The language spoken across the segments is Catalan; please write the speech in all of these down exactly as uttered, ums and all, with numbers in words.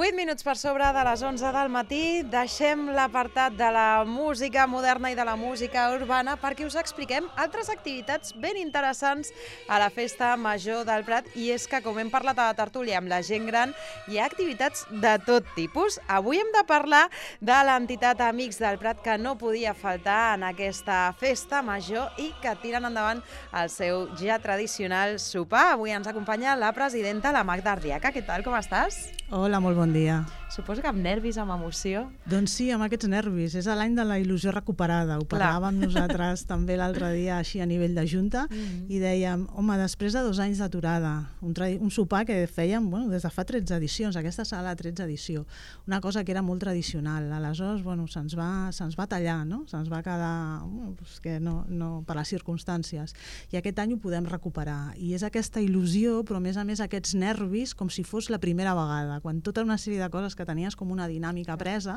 vuit minuts per sobre de les onze del matí, deixem l'apartat de la música moderna i de la música urbana perquè us expliquem altres activitats ben interessants a la Festa Major del Prat, i és que, com hem parlat a la tertúlia amb la gent gran, hi ha activitats de tot tipus. Avui hem de parlar de l'entitat Amics del Prat, que no podia faltar en aquesta Festa Major i que tiren endavant el seu ja tradicional sopar. Avui ens acompanya la presidenta, la Magda Arriaca. Què tal, com estàs? Hola, molt bon dia. Suposo que amb nervis, amb emoció. Doncs sí, amb aquests nervis. És l'any de la il·lusió recuperada. Ho parlàvem nosaltres també l'altre dia així a nivell de junta mm-hmm. i dèiem, home, després de dos anys d'aturada, un, un sopar que fèiem bueno, des de fa tretze edicions, aquesta serà la tretze edició, una cosa que era molt tradicional. Aleshores, bueno, se'ns va, se'ns va tallar, no? Se'ns va quedar bueno, pues que no, no, per les circumstàncies. I aquest any ho podem recuperar. I és aquesta il·lusió, però a més a més aquests nervis com si fos la primera vegada, quan tota una sèrie de coses que tenies com una dinàmica presa,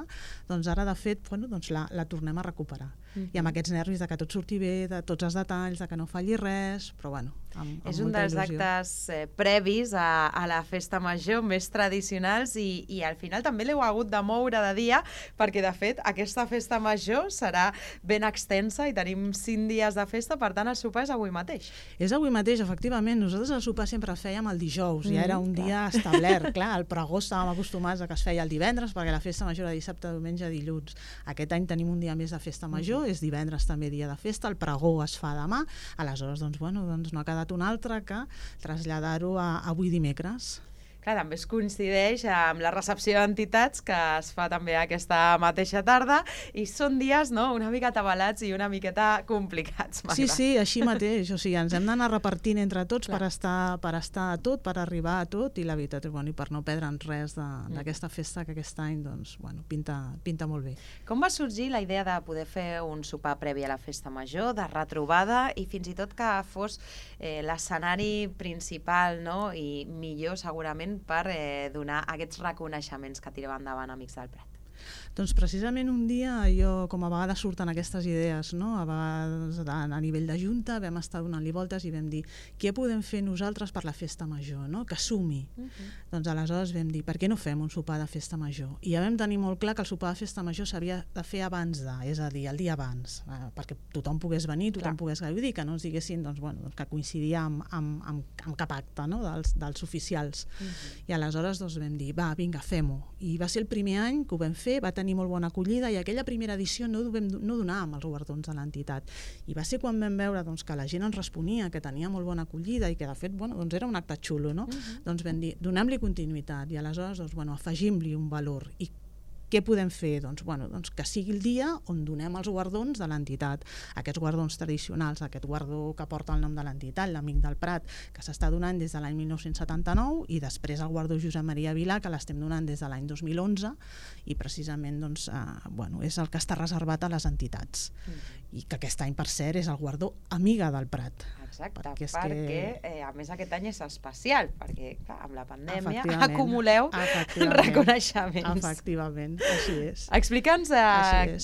doncs ara de fet bueno, doncs la, la tornem a recuperar. Mm-hmm. I amb aquests nervis de que tot surti bé, de tots els detalls, de que no falli res, però bueno, amb, amb és un dels il·lusió. Actes eh, previs a, a la Festa Major, més tradicionals, i, i al final també l'heu hagut de moure de dia, perquè de fet aquesta Festa Major serà ben extensa i tenim cinc dies de festa, per tant el sopar és avui mateix. És avui mateix, efectivament. Nosaltres el sopar sempre el fèiem el dijous, mm, ja era un clar. dia establert. Clar, al pregó estàvem acostumats a que es feia el divendres, perquè la Festa Major era dissabte, diumenge, dilluns. Aquest any tenim un dia més de Festa Major, mm. és divendres també dia de festa, el pregó es fa demà, aleshores doncs, bueno, doncs no ha quedat un altre que traslladar-ho a avui dimecres. Clar, també es coincideix amb la recepció d'entitats que es fa també aquesta mateixa tarda, i són dies no, una mica atabalats i una miqueta complicats. Magda. Sí, sí, així mateix. O sigui, ens hem d'anar repartint entre tots per estar, per estar a tot, per arribar a tot, i la veritat és bueno, i per no perdre'n res d'aquesta festa que aquest any doncs, bueno, pinta, pinta molt bé. Com va sorgir la idea de poder fer un sopar previ a la Festa Major, de retrobada, i fins i tot que fos eh, l'escenari principal, no? I millor segurament per eh, donar aquests reconeixements que tirava endavant Amics del Prat? Doncs precisament un dia, jo, com a vegades surten aquestes idees, no? A vegades a nivell de junta vam estar donant-li voltes i vam dir què podem fer nosaltres per la Festa Major, no? Que sumi. Uh-huh. Doncs aleshores vam dir per què no fem un sopar de Festa Major? I ja vam tenir molt clar que el sopar de Festa Major s'havia de fer abans de, és a dir, el dia abans, eh, perquè tothom pogués venir, tothom clar. pogués gaudir, que no ens diguessin doncs, bueno, doncs, que coincidia amb, amb, amb, amb cap acte, no? dels, dels oficials. Uh-huh. I aleshores doncs, vam dir, va, vinga, fem-ho. I va ser el primer any que ho vam fer, va tenir molt bona acollida, i aquella primera edició no, vam, no donàvem els guardons de l'entitat. I va ser quan vam veure doncs, que la gent ens responia, que tenia molt bona acollida i que de fet bueno, doncs era un acte xulo, no? Uh-huh. Doncs vam dir, donem-li continuïtat, i aleshores doncs, bueno, afegim-li un valor. I què podem fer? Doncs, bueno, doncs que sigui el dia on donem els guardons de l'entitat. Aquests guardons tradicionals, aquest guardó que porta el nom de l'entitat, l'Amic del Prat, que s'està donant des de l'any mil nou-cents setanta-nou, i després el guardó Josep Maria Vilà, que l'estem donant des de l'any dos mil onze, i precisament doncs, eh, bueno, és el que està reservat a les entitats. Mm. I que aquest any, per cert, és el guardó Amiga del Prat. Exacte, perquè, perquè que... eh, a més aquest any és especial, perquè clar, amb la pandèmia acumuleu reconeixements. Efectivament, així és. Explica'ns eh,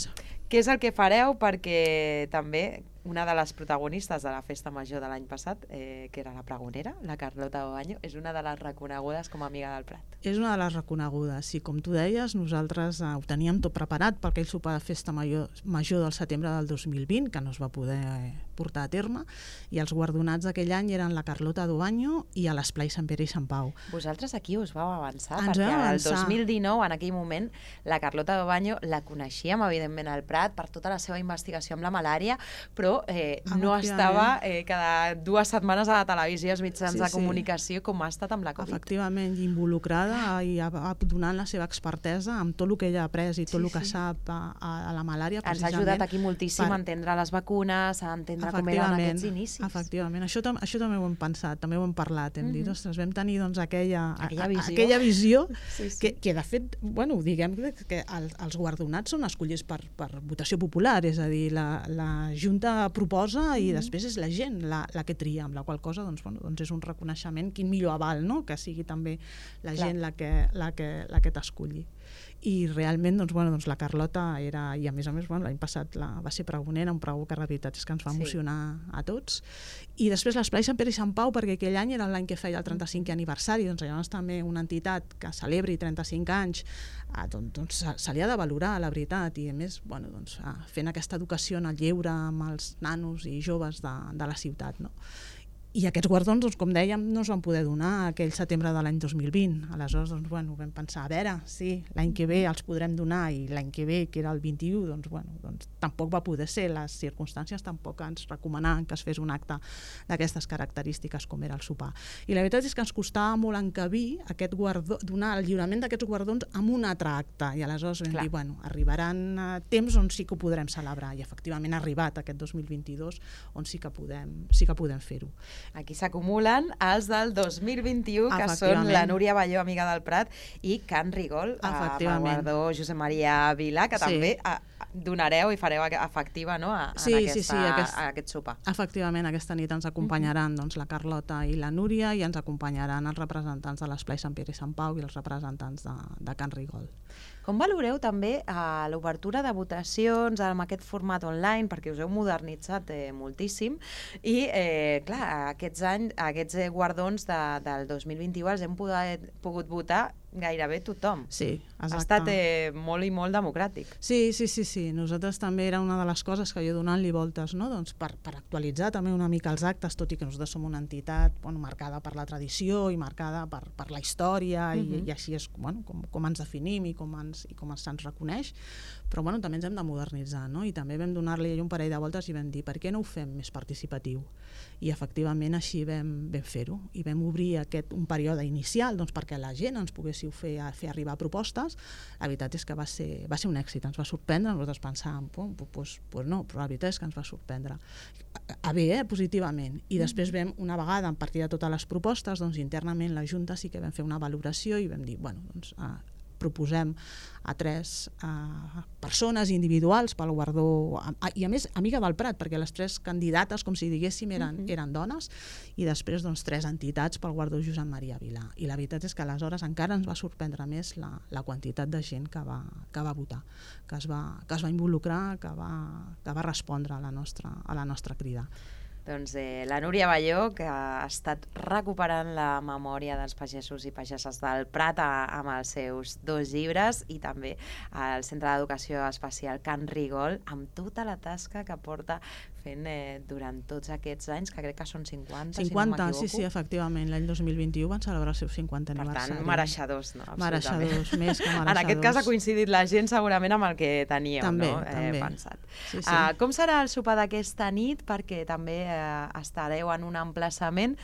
què és el que fareu, perquè també una de les protagonistes de la Festa Major de l'any passat, eh, que era la pregonera, la Carlota Obaño, és una de les reconegudes com a Amiga del Prat. És una de les reconegudes, i com tu deies, nosaltres eh, ho teníem tot preparat per aquell sopar de Festa Major, major del setembre del dos mil vint, que no es va poder eh, portar a terme, i els guardonats d'aquell any eren la Carlota Obaño i a l'Esplai Sant Pere i Sant Pau. Vosaltres aquí us vau avançar, Ens perquè el dos mil dinou, en aquell moment, la Carlota Obaño la coneixíem, evidentment, al Prat, per tota la seva investigació amb la malària, però Guardó eh, no estava eh, cada dues setmanes a la televisió, als mitjans sí, de comunicació, sí. com ha estat amb la Covid. Efectivament, involucrada i donant la seva expertesa amb tot el que ella ha après i tot sí, el que sí. sap a, a la malària. Ens ha ajudat aquí moltíssim per... a entendre les vacunes, a entendre com eren aquests inicis. Efectivament, això, tam això també ho hem pensat, també ho hem parlat, hem mm -hmm. dit, ostres, vam tenir doncs, aquella, aquella visió, aquella visió sí, sí. Que, que de fet, bueno, diguem que els, els guardonats són escollits per, per votació popular, és a dir, la, la Junta proposa i mm -hmm. després és la gent la, la que tria, amb la qual cosa doncs, bueno, doncs és un reconeixement, quin millor aval, no? Que sigui també la Clar. gent la que, la que, la que t'escolli. I realment doncs, bueno, doncs la Carlota era, i a més a més bueno, l'any passat la, va ser pregonera, un pregó que la veritat és que ens va emocionar sí. a tots. I després l'Esplai Sant Pere i Sant Pau, perquè aquell any era l'any que feia el trenta-cinquè aniversari, doncs llavors també una entitat que celebri trenta-cinc anys, eh, doncs, doncs se li ha de valorar, la veritat, i a més bueno, doncs, fent aquesta educació en el lleure amb els nanos i joves de, de la ciutat, no? I aquests guardons, doncs, com dèiem, no es van poder donar aquell setembre de l'any dos mil vint. Aleshores, doncs, bueno, vam pensar, a veure, sí, l'any que ve els podrem donar, i l'any que ve, que era el vint-i-u, doncs, bueno, doncs, tampoc va poder ser. Les circumstàncies tampoc ens recomanaven que es fes un acte d'aquestes característiques com era el sopar. I la veritat és que ens costava molt encabir aquest guardó, donar el lliurament d'aquests guardons amb un altre acte. I aleshores vam Clar. dir, bueno, arribaran uh, temps on sí que ho podrem celebrar. I efectivament ha arribat aquest dos mil vint-i-dos on sí que podem, sí que podem fer-ho. Aquí s'acumulen els del dos mil vint-i-u, que són la Núria Balló, amiga del Prat, i Can Rigol, amb el guardó Josep Maria Vilà, que sí. també a, donareu i fareu efectiva no, a, sí, en aquesta, sí, sí, aquest, a aquest sopar. Efectivament, aquesta nit ens acompanyaran mm-hmm. doncs, la Carlota i la Núria, i ens acompanyaran els representants de l'Esplai Sant Pere i Sant Pau i els representants de, de Can Rigol. Com valoreu també eh, l'obertura de votacions amb aquest format online, perquè us heu modernitzat eh, moltíssim, i eh, clar, aquests anys, aquests eh, guardons de, del dos mil vint-i-u els hem pogut, pogut votar gairebé tothom. Sí, exacte. Ha estat eh, molt i molt democràtic. Sí, sí, sí, sí. Nosaltres també era una de les coses que jo donant-li voltes, no? Doncs per, per actualitzar també una mica els actes, tot i que nosaltres som una entitat bueno, marcada per la tradició i marcada per, per la història, uh-huh. i, i així és bueno, com, com ens definim i com ens, i com se'ns reconeix, però bueno, també ens hem de modernitzar, no? I també vam donar-li un parell de voltes i vam dir, per què no ho fem més participatiu? I efectivament així vam, vam fer-ho, i vam obrir aquest, un període inicial doncs, perquè la gent ens poguéssiu fer, fer arribar propostes. La veritat és que va ser, va ser un èxit, ens va sorprendre, nosaltres pensàvem, pues, pues no, però la veritat és que ens va sorprendre. A bé, eh, positivament. I després vam, una vegada, a partir de totes les propostes, doncs internament la Junta sí que vam fer una valoració i vam dir, bueno, doncs uh, proposem a tres uh, persones individuals pel guardó, a, i a més amiga del Prat, perquè les tres candidates, com si diguéssim, eren, uh-huh. eren dones, i després doncs, tres entitats pel guardó Josep Maria Vilà. I la veritat és que aleshores encara ens va sorprendre més la, la quantitat de gent que va, que va votar, que es va, que es va involucrar, que va, que va respondre a la nostra, a la nostra crida. Doncs eh, la Núria Balló, que ha estat recuperant la memòria dels pagesos i pageses del Prat a, amb els seus dos llibres, i també al Centre d'Educació Especial Can Rigol, amb tota la tasca que porta fent eh, durant tots aquests anys, que crec que són cinquanta, cinquanta, si no m'equivoco. Sí, sí, efectivament. L'any dos mil vint-i-u van celebrar el seu cinquanta aniversari. Per tant, mereixedors, no? Mereixedors, més que mereixedors. En aquest cas ha coincidit la gent segurament amb el que teníeu, també, no? També. Eh, pensat. Sí, sí. Uh, com serà el sopar d'aquesta nit? Perquè també eh, estareu en un emplaçament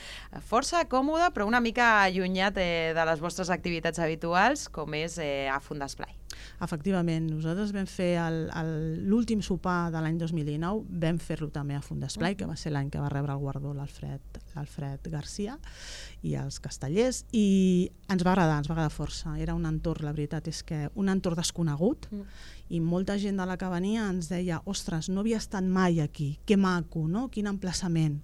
força còmode, però una mica allunyat eh, de les vostres activitats habituals, com és eh, a Font d'Esplai. Efectivament, nosaltres vam fer l'últim sopar de l'any dos mil dinou, vam fer-lo també a Font d'Esplai, que va ser l'any que va rebre el guardó l'Alfred Garcia i els castellers, i ens va agradar, ens va agradar força. Era un entorn, la veritat és que un entorn desconegut, mm. i molta gent de la que venia ens deia, ostres, no havia estat mai aquí, que maco, no? Quin emplaçament.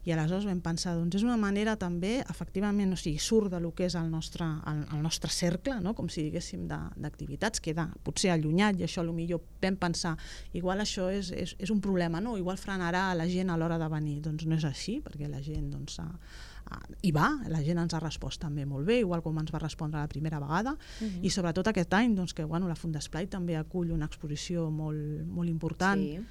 I aleshores vam pensar, doncs és una manera també, efectivament, o sigui, surt de lo que és el nostre, el, el nostre cercle, no? Com si diguéssim, d'activitats, queda potser allunyat, i això potser vam pensar, igual això és, és, és un problema, no? Igual frenarà la gent a l'hora de venir. Doncs no és així, perquè la gent doncs, a, a, hi va, la gent ens ha respost també molt bé, igual com ens va respondre la primera vegada, uh-huh. i sobretot aquest any, doncs, que bueno, la Font d'Esplai també acull una exposició molt, molt important, sí.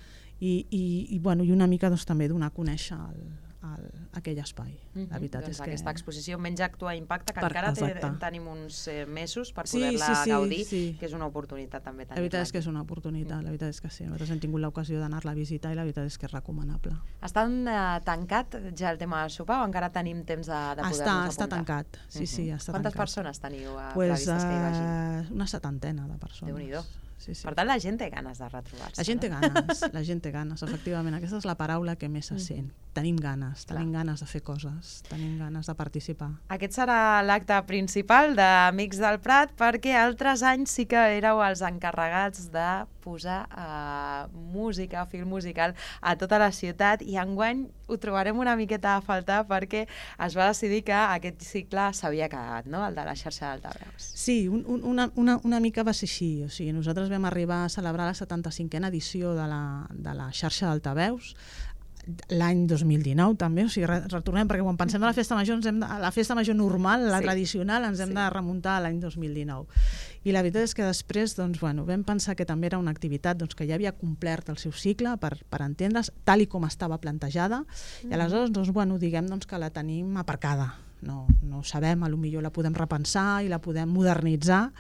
i, i, i, bueno, i una mica doncs, també donar a conèixer el el, aquell espai. Mm-hmm. La veritat doncs és que... aquesta exposició Menys Actua Impacta, que Per, encara té, exacte. tenim uns eh, mesos per Sí, poder-la sí, sí, gaudir, sí. que és una oportunitat també tenir-la. La veritat és que és una oportunitat, la veritat és que sí. Nosaltres hem tingut l'ocasió d'anar-la a visitar i la veritat és que és recomanable. Està eh, tancat ja el tema del sopar o encara tenim temps de, de poder-nos Està, apuntar? està tancat, sí, Mm-hmm. sí, està Quantes tancat. persones teniu eh, Pues, previstes que hi vagin? uh, una setantena de persones. Déu-n'hi-do. Sí, sí. Per tant, la gent té ganes de retrobar-se. La gent té no? ganes, la gent té ganes, efectivament. Aquesta és la paraula que més se sent. Tenim ganes, tenim Clar. ganes de fer coses, tenim ganes de participar. Aquest serà l'acte principal d'Amics del Prat, perquè altres anys sí que éreu els encarregats de posar uh, música, film musical a tota la ciutat, i enguany ho trobarem una miqueta a faltar perquè es va decidir que aquest cicle s'havia acabat, no? El de la xarxa d'altaveus. Sí, un, un, una, una, una mica va ser així. O sigui, nosaltres vam arribar a celebrar la setanta-cinquena edició de la, de la xarxa d'altaveus l'any dos mil dinou també, o sigui, retornem, perquè quan pensem de la festa major, ens hem de, la festa major normal, la sí. tradicional, ens hem sí. de remuntar a l'any dos mil dinou. I la veritat és que després doncs, bueno, vam pensar que també era una activitat doncs, que ja havia complert el seu cicle, per, per entendre's, tal i com estava plantejada, mm. i aleshores doncs, bueno, diguem doncs, que la tenim aparcada. No, no sabem, a lo millor la podem repensar i la podem modernitzar,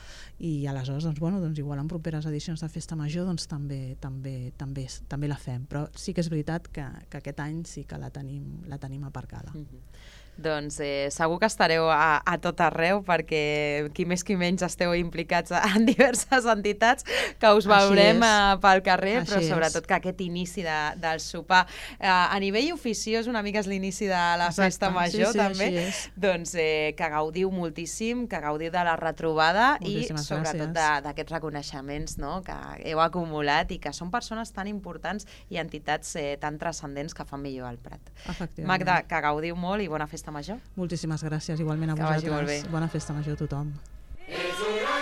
i aleshores doncs, bueno, doncs, igual en properes edicions de Festa Major doncs, també, també, també, també la fem, però sí que és veritat que, que aquest any sí que la tenim, la tenim aparcada. Mm-hmm. Doncs eh, segur que estareu a, a tot arreu, perquè qui més qui menys esteu implicats en diverses entitats, que us veurem eh, pel carrer, Així però és. sobretot que aquest inici de, del sopar, eh, a nivell oficiós, una mica és l'inici de la Exacte. Festa Major, sí, sí, també, doncs eh, que gaudiu moltíssim, que gaudiu de la retrobada Moltíssimes i sobretot gràcies. d'aquests reconeixements, no?, que heu acumulat i que són persones tan importants i entitats eh, tan transcendents que fan millor al Prat. Efectivament. Magda, que gaudiu molt i bona Festa Major. Moltíssimes gràcies, igualment a Que vagi molt bé. vosaltres. Bona Festa Major a tothom. És una